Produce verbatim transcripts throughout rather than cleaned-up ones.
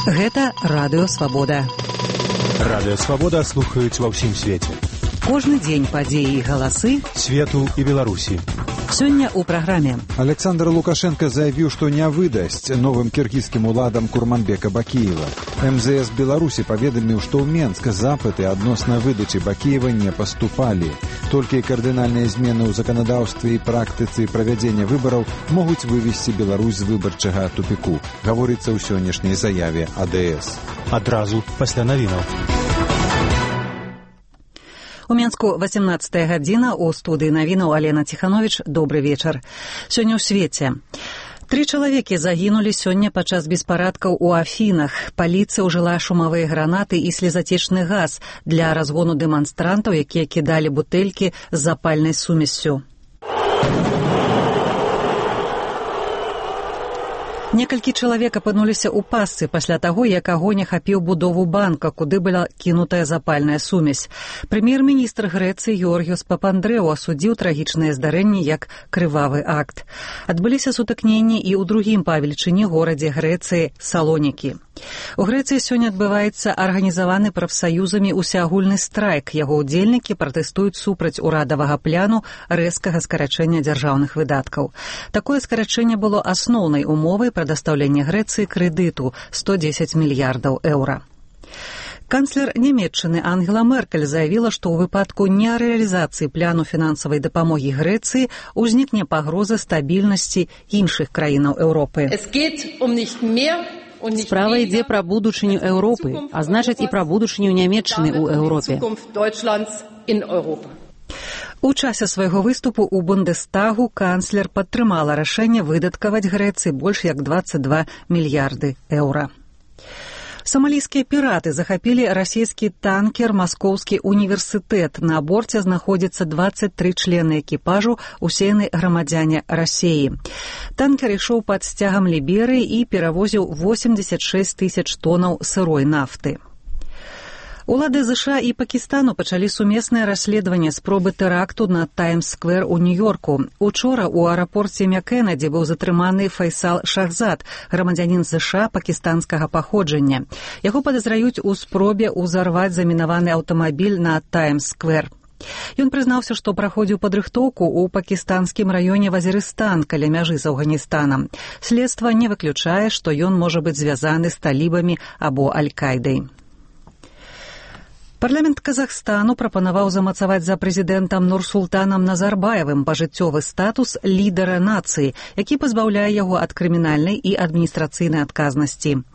Гэта Радыё Свабода. Радыё Свабода слухаюць ва ўсім свеце. Кожны дзень падзеі і галасы свету і Беларусі. Сёння ў праграме. Александр Лукашенко заявіў, што не выдасць новым кіргізскім уладам Курманбека Бакіева. эм зэ эс Беларусі паведаміў, што ў Менск запыты адносна выдачы Бакіева не паступалі. Толькі кардынальныя змены ў заканадаўстве і практыцы правядзення выбараў могуць вывесці Беларусь з выбарчага тупіку, гаворыцца ў сённяшняй заяве а дэ эс. Адразу пасля навінаў. У Менску васемнаццатая гадзіна, у студыі навінаў Алена Ціхановіч. Добры вечар. Сёння ў свеце. Тры чалавекі загінулі сёння падчас беспарадкаў у Афінах. Паліцыя ўжыла шумавыя гранаты і слезацечны газ для разгону дэманстрантаў, якія кідалі бутэлькі з запальнай сумессю. Некалькі чалавек апынуліся ў пастцы пасля таго, як агонь ахапіў будову банка, куды была кінутая запальная сумесь. Прэм'ер-міністр Грэцыі Георгіос Папандрэу асудзіў трагічнае здарэнне як крывавы акт. Адбыліся сутыкненні і ў другім па велічыні горадзе Грэцыі Салонікі. У Грэцыі сёння адбываецца арганізаваны прафсаюзамі усеагульны страйк. Яго ўдзельнікі пратэстуюць супраць урадавага пляну рэзкага скарачэння дзяржаўных выдаткаў. Такое скарачэнне было асноўнай умовай прадастаўлення Грэцыі крэдыту сто дзесяць мільярдаў еўра. Канцлер Нямецчыны Ангела Меркель заявіла, што ў выпадку нерэалізацыі пляну фінансавай дапамогі Грэцыі ўзнікне пагроза стабільнасці іншых краінаў Еўропы. Справа ідзе пра будучыню Еўропы, а значыць і пра будучыню Нямецчыны ў Еўропе. У часе свайго выступу ў Бундестагу канцлер падтрымала рашэнне выдаткаваць Грэцыі больш як дваццаць два мільярды еўра. Самалійскія піраты захапілі расійскі танкер «Маскоўскі універсітэт». На борце знаходзіцца дваццаць тры члены экіпажу, усе яны грамадзяне Расіі. Танкер ішоў пад сцягам Ліберыі і перавозіў восемьдесят шесть тысяч тонаў сырой нафты. Улады ЗША і Пакістану пачалі сумеснае расследаванне спробы тэракту на Таймс-сквер у Нью-Йорку. Учора ў аэрапорце Кеннеді быў затрыманы Файсал Шахзад, грамадзянін ЗША пакістанскага паходжання. Яго падазраюць у спробе ўзарваць замінаваны аўтамабіль на Таймс-сквер. Ён прызнаўся, што праходзіў падрыхтоўку ў пакістанскім раёне Вазірыстан каля мяжы з Афганістанам. Следства не выключае, што ён можа быць звязаны з талібамі або Аль-Кайдай. Парламент Казахстану прапанаваў замацаваць за прэзідэнтам Нурсултанам Назарбаевым пажыццёвы статус лідара нацыі, які пазбаўляе яго ад крымінальнай і адміністрацыйнай адказнасці.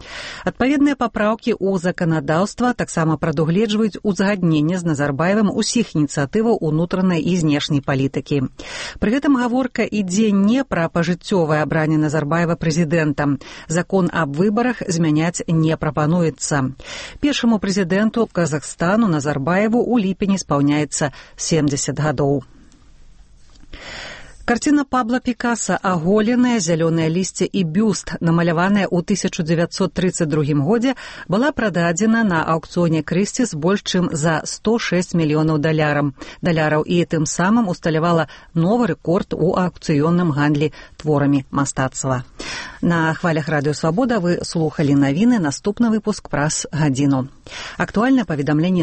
Адпаведныя папраўкі ў заканадаўства таксама прадугледжваюць узгадненне з Назарбаевым усіх ініцыятываў унутранай і знешняй палітыкі. Пры гэтым гаворка ідзе не пра пажыццёвае абранне Назарбаева прэзідэнтам. Закон аб выбарах змяняць не прапануецца. Першаму прэзідэнту Казахстана Назарбаеву у ліпені спаўняецца семьдесят гадоў. Карціна Пабло Пікаса «Аголенае зялёнае лісце і бюст», намаляваная ў тысяча дзевяцьсот трыццаць другім годзе, была прададзена на аўкцыёне Крысціс больш чым за сто шэсць мільёнаў даляраў і тым самым усталявала новы рэкорд у аўкцыённым гандлі творамі мастацтва. На хвалях Радыё Свабода вы слухалі навіны, наступны выпуск праз гадзіну. Актуальнае паведамленне